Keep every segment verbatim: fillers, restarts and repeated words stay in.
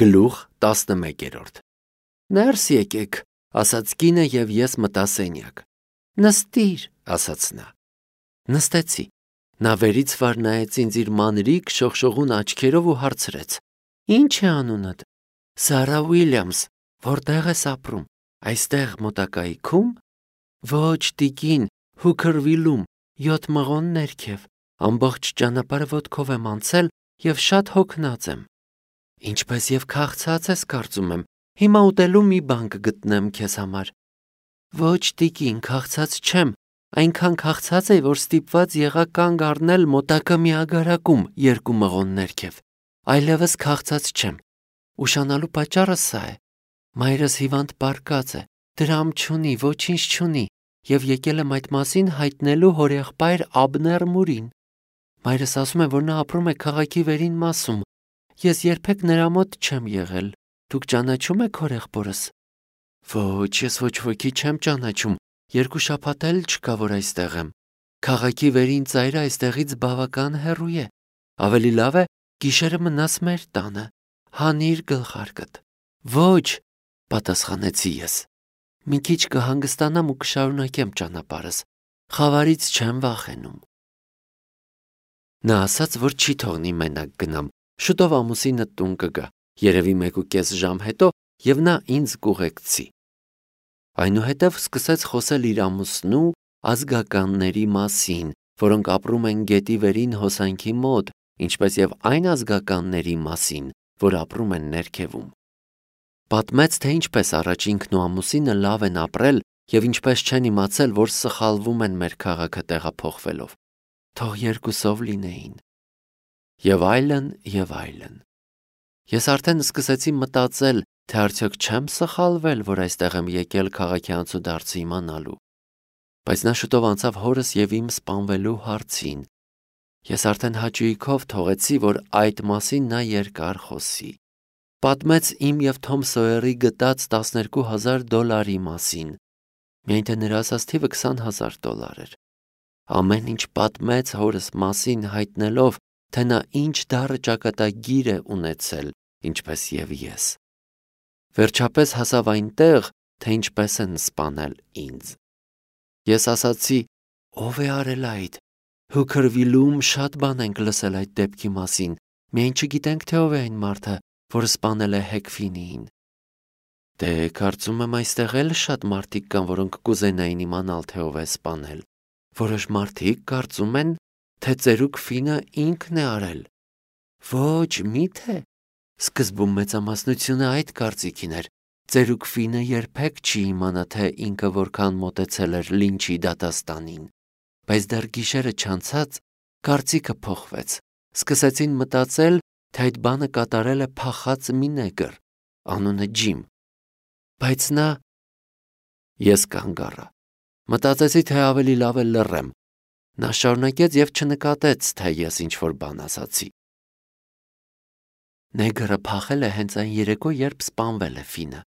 Գլուխ տասնմեկերորդ Ներս եկեք, ասաց կինը և ես մտա սենյակ։ Նստիր, ասաց նա։ Նստեցի։ Նա վերից վար նայեց ինձ իր մանրիկ շողշողուն աչքերով ու հարցրեց. Ինչ է անունդ։ Սարա Ուիլյամս, որտեղ ես ապրում։ Այստեղ մոտակայքում։ Ոչ, տիկին, Հուքերվիլում, յոթ մղոն ներքև։ Ամբողջ ճանապարհը ոտքով եմ անցել և շատ հոգնած եմ։ Ինչպես և քաղցած ես, կարծում եմ, հիմա ուտելու մի բան կգտնեմ քեզ համար։ Ոչ, տիկին, քաղցած չեմ, այնքան քաղցած էի, որ ստիպված եղա կանգ առնել մոտակա մի ագարակում երկու մղոն ներքև։ Այլևս քաղցած չեմ։ Ուշանալու պատճառը սա է. մայրս հիվանդ պառկած է, դրամ չունի, ոչինչ չունի, և եկել եմ այդ մասին հայտնելու հորեղբայր Աբներ Մուրին։ Մայրս ասում է, որ նա ապրում է քաղաքի վերին մասում։ Ես երբեք նրա մոտ չեմ եղել։ Դուք ճանաչում եք հորեղբորս։ Ոչ, ես ոչ ոքի չեմ ճանաչում, երկու շաբաթ էլ չկա, որ այստեղ եմ։ Քաղաքի վերին ծայրը այստեղից բավական հեռու է։ Ավելի լավ է գիշերը մնաս մեր տանը, հանիր գլխարկդ։ Ոչ, պատասխանեցի ես։ Մի քիչ կհանգստանամ ու կշարունակեմ ճանապարհս։ Խավարից չեմ վախենում։ Նա ասաց, որ չի թողնի մենակ գնամ։ Շուտով ամուսինը տուն կգա, երևի մեկուկես ժամ հետո, և նա ինձ կուղեկցի։ Այնուհետև սկսեց խոսել իր ամուսնու ազգականների մասին, որոնք ապրում են գետի վերին հոսանքի մոտ, ինչպես և այն ազգականների մասին, որ ապրում են ներքևում։ Պատմեց, թե ինչպես առաջ ինքն ու ամուսինը լավ են ապրել և ինչպես չեն իմացել, որ սխալվում են մեր քաղաքը տեղափոխվելով։ Թող երկուսով լինեին։ Եվ այլն, և այլն։ Ես արդեն սկսեցի մտածել, թե արդյոք չեմ սխալվել, որ այստեղ եմ եկել քաղաքի անցուդարձը իմանալու։ Բայց նա շուտով անցավ հորս և իմ սպանվելու հարցին։ Ես արդեն հաճույքով թողեցի, որ այդ մասին նա երկար խոսի։ Պատմեց իմ և Թոմ Սոյերի գտած տասներկու հազար դոլարի մասին։ Միայն թե նրա ասած թիվը քսան հազար դոլար էր։ Ամեն ինչ պատմեց հորս մասին, հայտնելով, թե նա ինչ դառը ճակատագիր է ունեցել, ինչպես և ես։ Վերջապես հասավ այնտեղ, թե ինչպես են սպանել ինձ։ Ես ասացի. ով է արել այդ։ Հուքերվիլում շատ բան ենք լսել այդ դեպքի մասին, միայն չգիտենք, թե ով է այն մարդը, որ սպանել է Հեքֆինիին։ Դե, կարծում եմ, այստեղ էլ շատ մարդիկ կան, որոնք կուզենային իմանալ, թե ով է սպանել։ Որոշ մարդիկ կարծում են, թե ծերուկ Ֆինը ինքն է արել։ Ոչ, միթե։ Սկզբում մեծամասնությունը այդ կարծիքին էր։ Ծերուկ Ֆինը երբեք չի իմանա, թե ինքը որքան մոտեցել էր Լինչի դատաստանին։ Բայց դեռ գիշերը չանցած կարծիքը փոխվեց։ Սկսեցին մտածել, թե այդ բանը կատարել է փախած մի նեգր, անունը Ջիմ։ Բայց նա… Ես կանգ առա։ Մտածեցի, թե ավելի լավ է լռեմ։ Նա շարունակեց և չնկատեց, թե ես ինչ-որ բան ասացի։ Նեգրը փախել է հենց այն երեկո, երբ սպանվել է Ֆինը։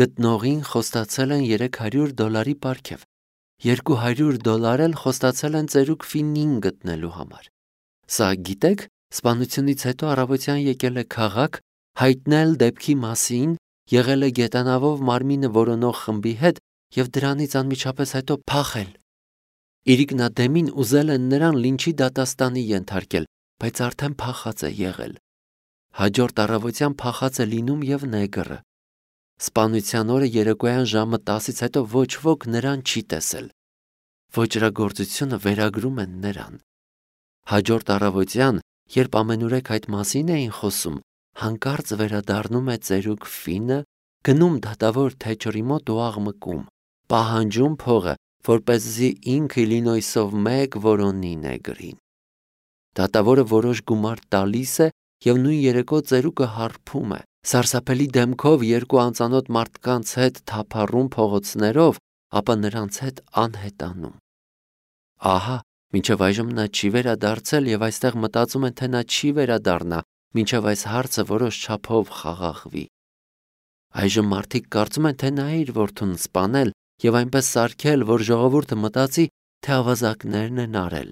Գտնողին խոստացել են երեք հարյուր դոլարի պարգև։ Երկու հարյուր դոլար էլ խոստացել են ծերուկ Ֆինին գտնելու համար։ Սա, գիտեք, սպանությունից հետո առավոտյան եկել է քաղաք, հայտնել դեպքի մասին, եղել է գետանավով մարմինը որոնող խմբի հետ և դրանից անմիջապես հետո փախել։ Իրիկնադեմին ուզել են նրան Լինչի դատաստանի ենթարկել, բայց արդեն փախած է եղել։ Հաջորդ առավոտյան փախած է լինում և նեգրը։ Սպանության օրը երեկոյան ժամը տասից հետո ոչ ոք նրան չի տեսել։ Ոճրագործությունը վերագրում են նրան։ Հաջորդ առավոտյան, երբ ամենուրեք այդ մասին էին խոսում, հանկարծ վերադառնում է ծերուկ Ֆինը, գնում դատավոր Թեչերի մոտ ու աղմկում, պահանջում փողը, որպեսզի ինքը Իլինոյսով մեկ որոնի նեգրին։ Դատավորը որոշ գումար տալիս է և նույն երեկո ծերուկը հարբում է, սարսափելի դեմքով երկու անծանոթ մարդկանց հետ թափառում փողոցներով, ապա նրանց հետ անհետանում։ Ահա, մինչև այժմ նա չի վերադարձել և այստեղ մտածում են, թե նա չի վերադառնա, մինչև այս հարցը որոշ չափով խաղաղվի։ Այժմ մարդիկ կարծում են, թե նա է իր որդուն սպանել և այնպես սարքել, որ ժողովուրդը մտածի, թե ավազակներն են արել։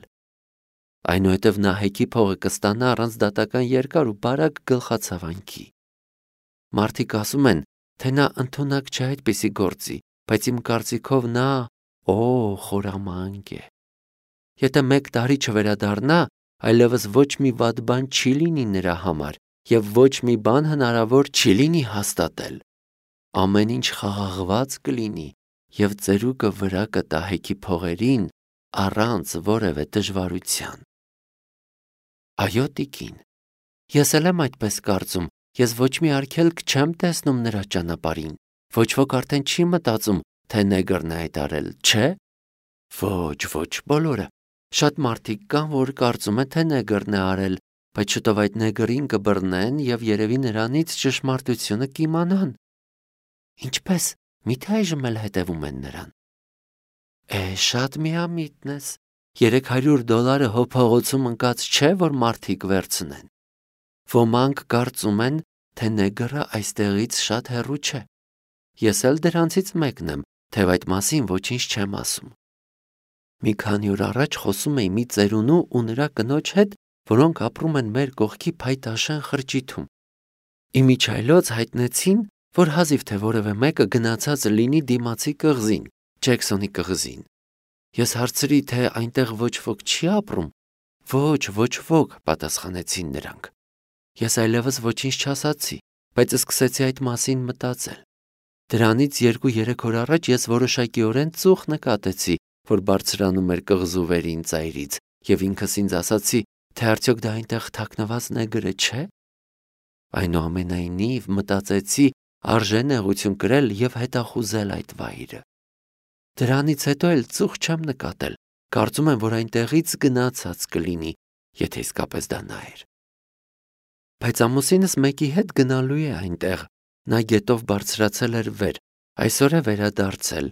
Այնուհետև նա Հեքի փողը կստանա առանց դատական երկար ու բարակ գլխացավանքի։ Մարդիկ ասում են, թե նա ընդունակ չէ այդպիսի գործի, բայց իմ կարծիքով նա օ խորամանկ է։ Եթե մեկ տարի չվերադառնա, այլևս ոչ մի վատ բան չի լինի նրա համար և ոչ մի բան հնարավոր չի լինի հաստատել։ Ամեն ինչ խաղաղված կլինի և ծերուկը վրա կտա հեքի փողերին առանց որևէ դժվարության։ Այո, տիկին, ես էլ եմ այդպես կարծում, ես ոչ մի արգելք չեմ տեսնում նրա ճանապարհին, ոչ ոք արդեն չի մտածում, թե նեգրն է այդ արել, չէ՞։ Ոչ, ոչ բոլորը։ Շատ մարդիկ կան, որ կարծում են, թե նեգրն է արել, բայց շուտով այդ նեգրին կբռնեն և երևի նրանից ճշմարտությունը կիմանան։ Ինչպե՞ս, միթե այժմ էլ հետևում են նրան։ Է, շատ միամիտն ես։ Երեք հարյուր դոլարը հո փողոցում ընկած չէ, որ մարդիկ վերցնեն։ Ոմանք կարծում են, թե նեգրը այստեղից շատ հեռու չէ։ Ես էլ դրանցից մեկն եմ, թեև այդ մասին ոչինչ չեմ ասում։ Մի քանի օր առաջ խոսում էի մի ծերունու ու նրա կնոջ հետ, որոնք ապրում են մեր կողքի փայտաշեն խրճիթում։ Իմիջիայլոց հայտնեցին, որ հազիվ թե որևէ մեկը գնացած լինի դիմացի կղզին, Ջեքսոնի կղզին։ Ես հարցրի, թե այնտեղ ոչ ոք չի ապրում։ Ոչ, ոչ ոք, պատասխանեցին նրանք։ Ես այլևս ոչինչ չասացի, բայց սկսեցի այդ մասին մտածել։ Դրանից երկու-երեք օր առաջ ես որոշակիորեն ծուխ նկատեցի, որ բարձրանում էր կղզու վերին ծայրից, և ինքս ինձ ասացի, թե արդյոք դա այնտեղ թաքնված նեգրը չէ։ Այնուամենայնիվ մտածեցի, արժե նեղություն կրել և հետախուզել այդ վայրը։ Դրանից հետո էլ ծուխ չեմ նկատել, կարծում եմ, որ այնտեղից գնացած կլինի, եթե իսկապես դա նա էր։ Բայց ամուսինս մեկի հետ գնալու է այնտեղ, նա գետով բարձրացել էր վեր, այսօր է վերադարձել,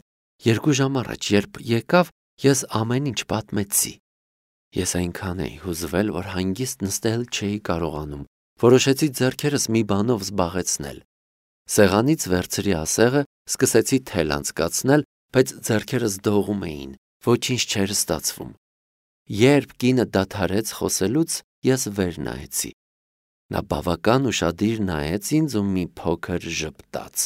երկու ժամ առաջ, երբ եկավ, ես ամեն ինչ պատմեցի։ Ես այնքան էի հուզվել, որ հանգիստ նստել չէի կարողանում, որոշեցի ձեռքերս մի բանով զբաղեցնել։ Սեղանից վերցրի ասեղը, սկսեցի թել անցկացնել, բայց ձեռքերս դողում էին, ոչինչ չէր ստացվում։ Երբ կինը դադարեց խոսելուց, ես վեր նայեցի։ Նա բավական ուշադիր նայեց ինձ ու մի փոքր ժպտաց։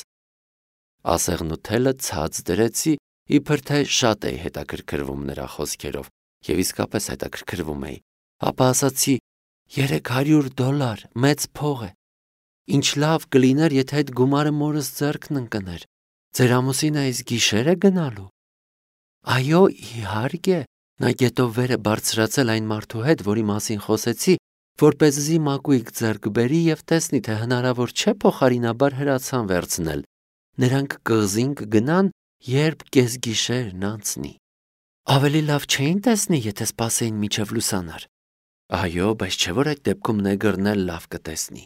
Ասեղն ու թելը ցած դրեցի, իբր թե շատ էի հետաքրքրվում նրա խոսքերով, և իսկապես հետաքրքրվում էի, ապա ասացի. երեք հարյուր դոլար, մեծ փող է։ Ինչ լավ կլիներ, եթե այդ գումարը մորս ձեռքն ընկներ։ Ձեր ամուսինը այս գիշեր է գնալու։ Այո, իհարկե, նա գետով վեր է բարձրացել այն մարդու հետ, որի մասին խոսեցի, որպեսզի մակույկ ձեռք բերի և տեսնի, թե հնարավոր չէ փոխարինաբար հրացան վերցնել։ Նրանք կղզին կգնան, երբ կեսգիշերն անցնի։ Ավելի լավ չէին տեսնի, եթե սպասեին մինչև լուսանար։ Այո, բայց չէ՞ որ այդ դեպքում նեգրն էլ լավ կտեսնի։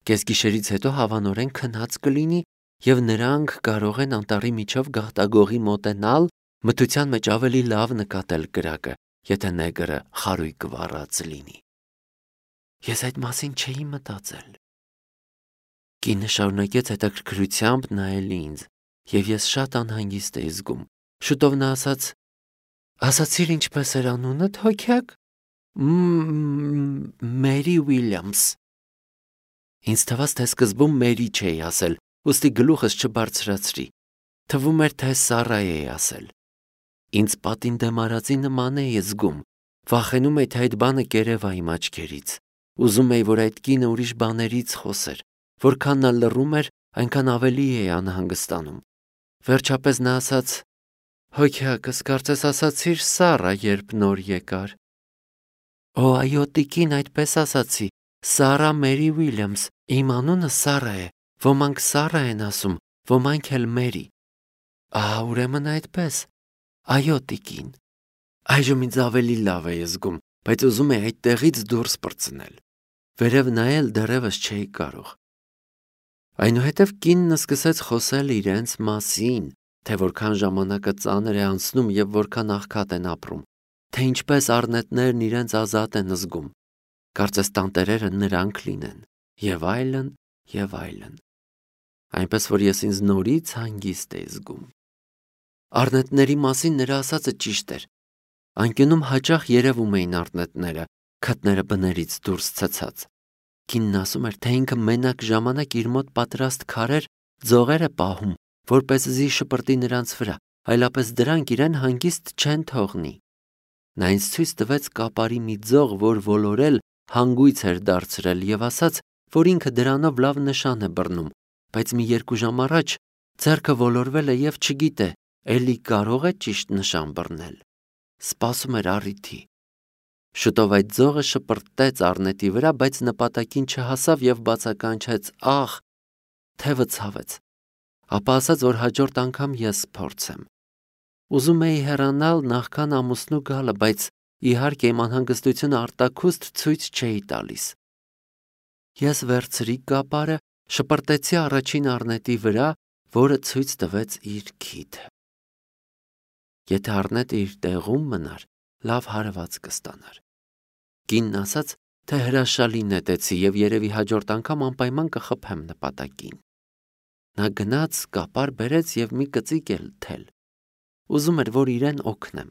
Կեսգիշերից հետո հավանորեն քնած կլինի, և նրանք կարող են անտառի միջով գաղտագողի մոտենալ, մթության մեջ ավելի լավ նկատել կրակը, եթե նեգրը խարույկ վառած լինի։ Ես այդ մասին չէի մտածել։ Կինը շարունակեց հետաքրքրությամբ նայել ինձ, և ես շատ անհանգիստ էի զգում։ Շուտով նա ասաց. Ասացիր ինչպես էր անունդ, հոգյակ։ Մերի Ուիլյամս։ Ինձ թվաց, թե սկզբում Մերի չէի ասել, ուստի գլուխս չբարձրացրի։ Թվում էր, թե Սառա էի ասել։ Ինձ պատին դեմ արածի նման էի զգում, վախենում էի, թե այդ բանը կերևա իմ աչքերից։ Ուզում էի, որ այդ կինը ուրիշ բաներից խոսեր, որքան նա լռում էր, այնքան ավելի էի անհանգստանում։ Վերջապես նա ասաց. Հոգյակս, կարծես ասացիր Սառա, երբ նոր եկար։ Օ, այո, տիկին, այդպես ասացի, Սառա Մերի Ուիլյամս, իմ անունը Սառա է, ոմանք Սառա են ասում, ոմանք էլ Մերի։ Ահա, ուրեմն այդպես։ Այո, տիկին։ Այժմ ինձ ավելի լավ էի զգում, բայց ուզում էի այդտեղից դուրս պրծնել։ Վերև նայել դեռևս չէի կարող։ Այնուհետև կինն սկսեց խոսել իրենց մասին, թե որքան ժամանակը ծանր է անցնում և որքան աղքատ են ապրում, թե ինչպես առնետներն իրենց ազատ են զգում, կարծես տանտերերը նրանք լինեն, և այլն, և այլն։ Այնպես որ ես ինձ նորից հանգիստ էի զգում։ Առնետների մասին նրա ասածը ճիշտ էր։ Անկյունում հաճախ երևում էին առնետները, քթները բներից դուրս ցցած։ Կինն ասում էր, թե ինքը մենակ ժամանակ իր մոտ պատրաստ քարեր, ձողեր է պահում, որպեսզի շպրտի նրանց վրա, այլապես դրանք իրեն հանգիստ չեն թողնի։ Նա ինձ ցույց տվեց կապարի մի ձող, որ ոլորել հանգույց էր դարձրել եւ ասաց, որ ինքը դրանով լավ նշան է բռնում, բայց մի երկու ժամ առաջ ձեռքը ոլորվել է եւ չգիտե, էլի կարող է ճիշտ նշան բռնել։ Սպասում էր առիթի։ Շուտով այդ ձողը շպրտեց առնետի վրա, բայց նպատակին չհասավ եւ բացականչեց. «Ախ», թևը ցավեց։ Ապա ասաց, որ հաջորդ անգամ ես փորձեմ։ Ուզում էի հեռանալ նախքան ամուսնու գալը, բայց իհարկե իմ անհանգստությունը արտաքուստ ցույց չէի տալիս։ Ես վերցրի կապարը, շպրտեցի առաջին առնետի վրա, որը ցույց տվեց իր քիթը։ Եթե առնետը իր տեղում մնար, լավ հարված կստանար։ Կինն ասաց, թե հրաշալի նետեցի եւ երևի հաջորդ անգամ անպայման կխփեմ նպատակին։ Նա գնաց, կապար բերեց եւ մի կծիկ էլ թել։ Ուզում էր, որ իրեն օգնեմ։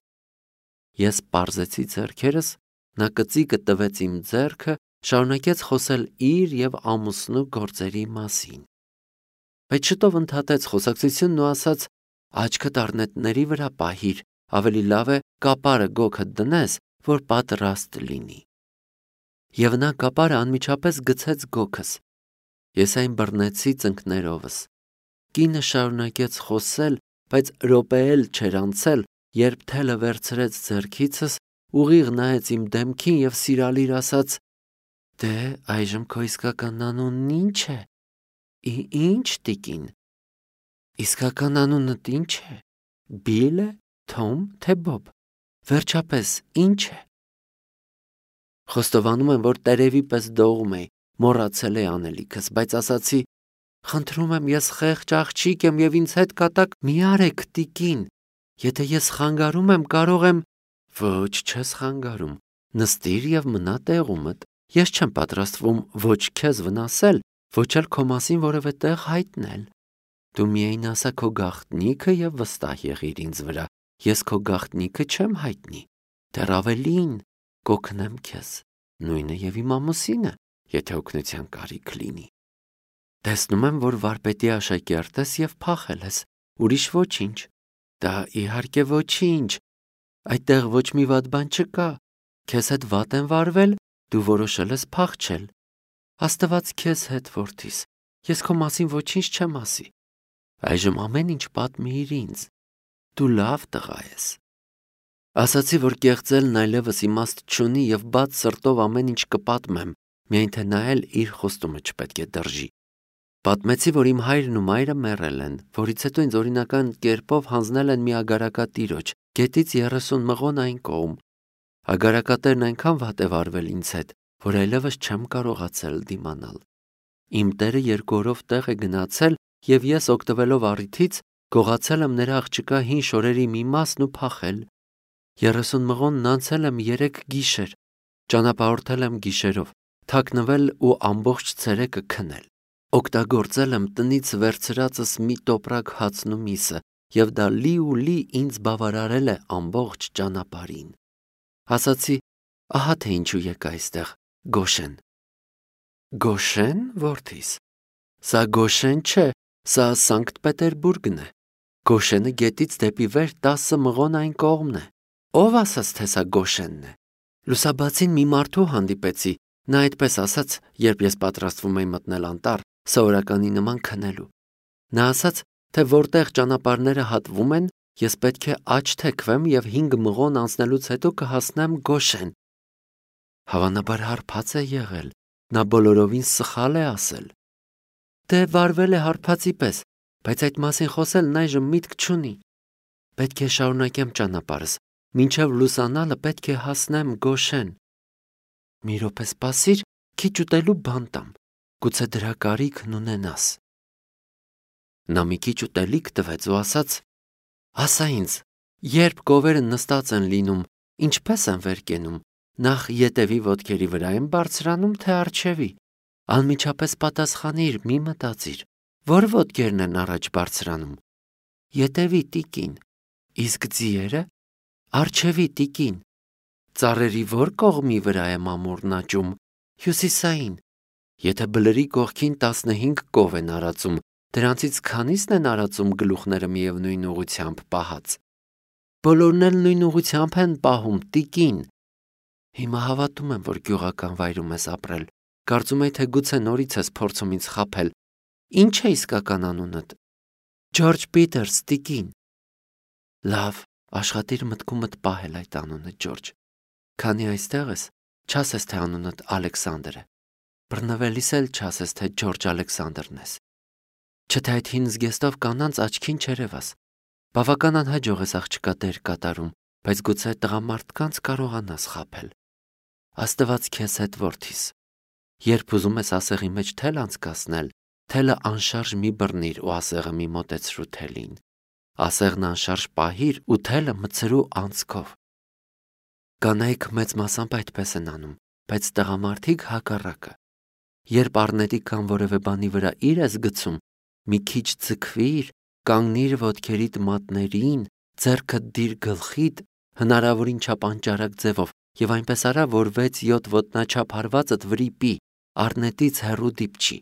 Ես պարզեցի ձեռքերս, նա կծիկը տվեց իմ ձեռքը, շարունակեց խոսել իր եւ ամուսնու գործերի մասին։ Բայց շուտով ընդհատեց խոսակցությունն ու ասաց. «Աչքդ առնետների վրա պահիր, ավելի լավ է կապարը գոգդ դնես, որ պատրաստ լինի»։ Եվ նա կապարը անմիջապես գցեց գոգս։ Ես այն բռնեցի ծնկներովս։ Կինը շարունակեց խոսել, բայց րոպե էլ չէր անցել, երբ թելը վերցրեց ձեռքիցս, ուղիղ նայեց իմ դեմքին եւ սիրալիր ասաց. «Դե այժմ քո իսկական անունն ի՞նչ է»։ «Ի՞նչ, տիկին»։ «Իսկական անունդ ի՞նչ է։ Բիլ է, Թոմ, թե Բոբ։ Վերջապես ի՞նչ է»։ Խոստովանում եմ, որ տերևի պես դողում էի, մոռացել էի անելիքս, բայց ասացի. «Խնդրում եմ, ես խեղճ աղջիկ եմ եւ ինձ հետ կատակ մի արեք, տիկին։ Եթե ես խանգարում եմ, կարող եմ»։ «Ոչ, չես խանգարում։ Նստիր եւ մնա տեղումդ։ Ես չեմ պատրաստվում ոչ քեզ վնասել, ոչ էլ քո մասին որևէ տեղ հայտնել։ Դու միայն ասա քո գաղտնիքը եւ վստահ եղիր ինձ վրա։ Ես քո գաղտնիքը չեմ հայտնի։ Դեռ ավելին, կօգնեմ քեզ, նույնը եւ իմ ամուսինը, եթե օգնության կարիք լինի։ Տեսնում եմ, որ վարպետի աշակերտ ես եւ փախել ես, ուրիշ ոչինչ։ Դա իհարկե ոչինչ։ Այդտեղ ոչ մի վատ բան չկա։ Քեզ հետ վատ են վարվել, դու որոշել ես փախչել։ Աստված քեզ հետ, որդիս, ես քո մասին ոչինչ չեմ ասի։ Այժմ ամեն ինչ պատմիր ինձ։ Դու լավ տղա ես։ Ասացի, որ կեղծելն այլևս իմաստ չունի եւ բաց սրտով ամեն ինչ կպատմեմ, միայն թե նա էլ իր խոստումը չպետք է դրժի։ Պատմեցի, որ իմ հայրն ու մայրը մեռել են, որից հետո ինձ օրինական կերպով հանձնել են մի ագարակատիրոջ, գետից երեսուն մղոն այն կողմ։ Ագարակատերն այնքան վատ է վարվել ինձ հետ, որ այլևս չեմ կարողացել դիմանալ։ Իմ տերը երկու օրով տեղ է գնացել եւ ես օգտվելով առիթից գողացել եմ նրա աղջկա հին շորերի մի մասն ու փախել։ Երեսուն մղոնն անցել եմ երեք գիշեր, ճանապարհորդել եմ գիշերով, թաքնվել ու ամբողջ ցերեկը քնել։ Օգտագործել եմ տնից վերցրածս մի տոպրակ հացն ու միսը, եւ դա լի ու լի ինձ բավարարել է ամբողջ ճանապարհին։ Ասացի, ահա թե ինչու եկա այստեղ, Գոշեն։ Գոշեն, որդիս։ Սա Գոշեն չէ, սա Սանկտ Պետերբուրգն է։ Գոշենը գետից դեպի վեր տասը մղոն այն կողմն է։ Ով ասաց, թե սա Գոշենն է։ Լուսաբացին մի մարդու հանդիպեցի, նա այդպես ասաց, երբ ես պատրաստվում էի մտնել անտառ, սովորականի նման քնելու։ Նա ասաց, թե որտեղ ճանապարհները հատվում են, ես պետք է աջ թեքվեմ եւ հինգ մղոն անցնելուց հետո կհասնեմ Գոշեն։ Հավանաբար հարբած է եղել, նա բոլորովին սխալ է ասել։ Դե վարվել է հարբածի պես, բայց այդ մասին խոսելն այժմ միտք չունի։ Պետք է շարունակեմ ճանապարհս, մինչև լուսանալը պետք է հասնեմ Գոշեն։ Մի րոպե սպասիր, քիչ ուտելու բան տամ, գուցե դրա կարիքն ունենաս։ Նա մի քիչ ուտելիք տվեց ու ասաց. ասա ինձ, երբ կովերը նստած են լինում, ինչպես են վեր կենում, նախ ետևի ոտքերի վրա են բարձրանում, թե առջևի։ Անմիջապես պատասխանիր, մի մտածիր, որ ոտքերն են առաջ բարձրանում։ Ետևի, տիկին։ Իսկ ձիերը։ Առջևի, տիկին։ Ծառերի որ կողմի վրա է մամուռն աճում, հյուսիսային։ Եթե բլրի կողքին տասնհինգ կով են արածում, դրանցից քանիսն են արածում գլուխները միևնույն ուղղությամբ պահած։ Բոլորն էլ նույն ուղղությամբ են պահում, տիկին։ Հիմա հավատում եմ, որ գյուղական վայրում ես ապրել։ Կարծում եի, թե գուցե նորից ես փորձում ինձ խաբել։ Ինչ է իսկական անունդ։ Ջորջ Փիթերս, տիկին։ Լավ, աշխատիր մտքումդ պահել այդ անունը, Ջորջ։ Քանի այստեղ ես, չասես, թե անունդ Ալեքսանդր է։ Բռնվելիս էլ չասես, թե Ջորջ Ալեքսանդրն ես։ Չէ՞ այդ հին զգեստով կանանց աչքին չերևաս։ Բավական անհաջող ես աղջկա դեր կատարում, բայց գուցե տղամարդկանց կարողանաս խաբել։ Աստված քեզ հետ որդիս։ Երբ ուզում ես ասեղի մեջ թել անցկացնել, թելը անշարժ մի բռնիր ու ասեղը մի մոտեցրու թելին։ Ասեղն անշարժ պահիր ու թելը մցրու անցքով։ Կանայք մեծ մասամբ այդպես են անում, բայց տղամարդիկ հակառակը։ Երբ առնետի կամ որևէ բանի վրա իր ես գցում, մի քիչ ձգվիր, կանգնիր ոտքերիդ մատներին, ձեռքդ դիր գլխիդ, հնարավորին չափ անճարակ ձևով եւ այնպես արա, որ վեց-յոթ ոտնաչափ հարվածդ վրիպի, առնետից հեռու դիպչի։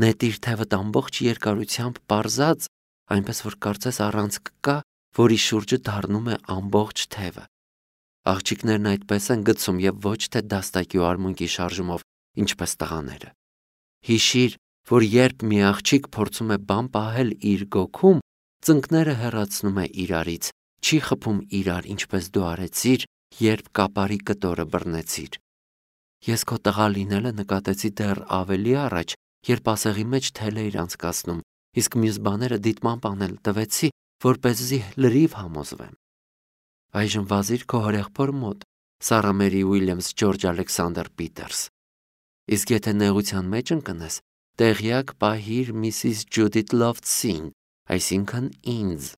Նետիր թևդ ամբողջ երկարությամբ պարզած, այնպես որ կարծես առանցք կա, որի շուրջը դառնում է ամբողջ թևը։ Աղջիկներն այդպես են գցում եւ ոչ թե դաստակի ու արմունկի շարժումով, ինչպես տղաները։ Հիշիր, որ երբ մի աղջիկ փորձում է բան պահել իր գոքում, ծնկները հեռացնում է իրարից, չի խփում իրար, ինչպես դու արեցիր, երբ կապարի կտորը բռնեցիր։ Ես քո տղա լինելը նկատեցի դեռ ավելի առաջ, երբ ասեղի մեջ թել էիր անցկացնում, իսկ մյուս բաները դիտմամբ անել տվեցի, որպեսզի լրիվ համոզվեմ։ Այժմ վազիր քո հորեղբոր մոտ, Սարա Մերի Ուիլյամս Ջորջ Ալեքսանդր Փիթերս։ Իսկ եթե նեղության մեջ ընկնես, տեղյակ պահիր Միսիս Ջուդիթ Լոֆթսին, այսինքն ինձ,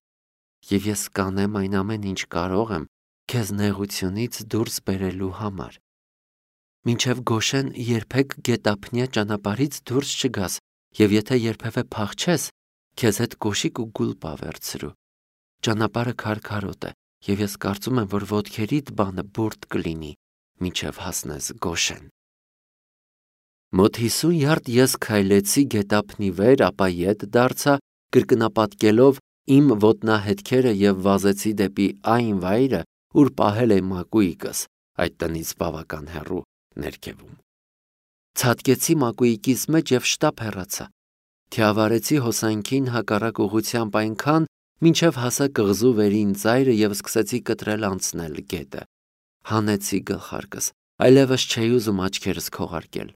եւ ես կանեմ այն ամեն ինչ կարող եմ քեզ նեղությունից դուրս բերելու համար։ Մինչև Գոշեն երբեք գետափնյա ճանապարհից դուրս չգաս, եւ եթե երբևէ փախչես, քեզ հետ կոշիկ ու գուլպա վերցրու։ Ճանապարհը քարքարոտ է, եւ ես կարծում եմ, որ ոտքերիդ բանը բուրդ կլինի, մինչև հասնես Գոշեն։ Մոտ հիսուն յարդ ես քայլեցի գետափնի վեր, ապա ետ դարձա, կրկնապատկելով իմ ոտնահետքերը եւ վազեցի դեպի այն վայրը, ուր պահել է մակույկս, այդ տնից բավական հեռու ներքևում։ Ցատկեցի մակույկիս մեջ եւ շտապ հեռացա։ Թիավարեցի հոսանքին հակառակ ուղղությամբ այնքան, մինչև հասա կղզու վերին ծայրը եւ սկսեցի կտրել անցնել գետը։ Հանեցի գլխարկս, այլևս չէի ուզում աչքերս քողարկել։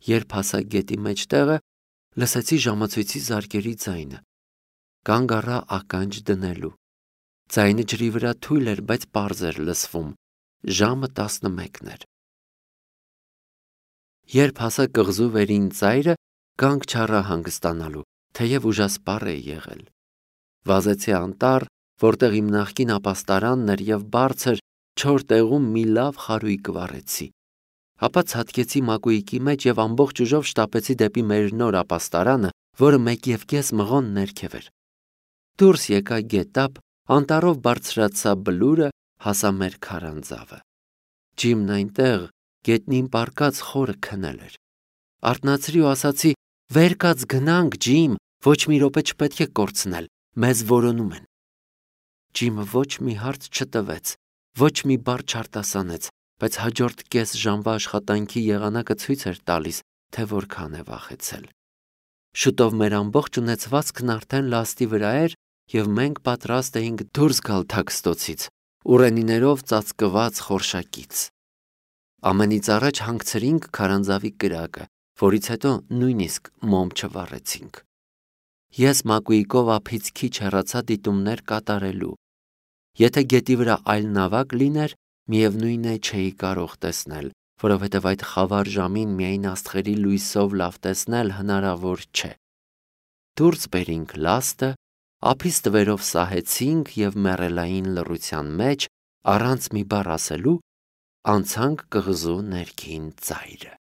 Երբ հասա գետի մեջտեղը, լսեցի ժամացույցի զարկերի ձայնը։ Կանգ առա ականջ դնելու։ Ձայնը ջրի վրա թույլ էր, բայց պարզ էր լսվում։ Ժամը տասնմեկն էր։ Երբ հասա կղզու վերին ծայրը, կանգ չառա հանգստանալու, թեև ուժասպառ է եղել։ Վազեցի անտառ, որտեղ իմ նախկին ապաստարանն էր եւ բարձր չոր տեղում մի լավ խարույկ վառեցի։ Ապա ցատկեցի մակույկի մեջ եւ ամբողջ ուժով շտապեցի դեպի մեր նոր ապաստարանը, որը մեկ եւ կես մղոն ներքև էր։ Դուրս եկա գետափ, անտառով բարձրացա բլուրը, հասա մեր քարանձավը։ Ջիմն այնտեղ գետնին պառկած խորը քնել էր։ Արթնացրի ու ասացի. «Վեր կաց գնանք, Ջիմ, ոչ մի րոպե չպետք է կորցնել, մեզ որոնում են»։ Ջիմը ոչ մի հարց չտվեց, ոչ մի բառ չարտասանեց, բայց հաջորդ կես ժամվա աշխատանքի եղանակը ցույց էր տալիս, թե որքան է վախեցել։ Շուտով մեր ամբողջ ունեցվածքն արդեն լաստի վրա էր եւ մենք պատրաստ էինք դուրս գալ թաքստոցից, ուռենիներով ծածկված խորշակից։ Ամենից առաջ հանգցրինք քարանձավի կրակը, որից հետո նույնիսկ մոմ չվառեցինք։ Ես մակույկով ափից քիչ հեռացա դիտումներ կատարելու։ Եթե գետի վրա այլ նավակ լիներ, միևնույն է չէի կարող տեսնել, որովհետև այդ խավար ժամին միայն աստղերի լույսով լավ տեսնել հնարավոր չէ։ Դուրս բերինք լաստը, ափից տվերով սահեցինք եւ մեռելային լռության մեջ, առանց մի բառ ասելու, անցանք կղզու ներքին ծայրը։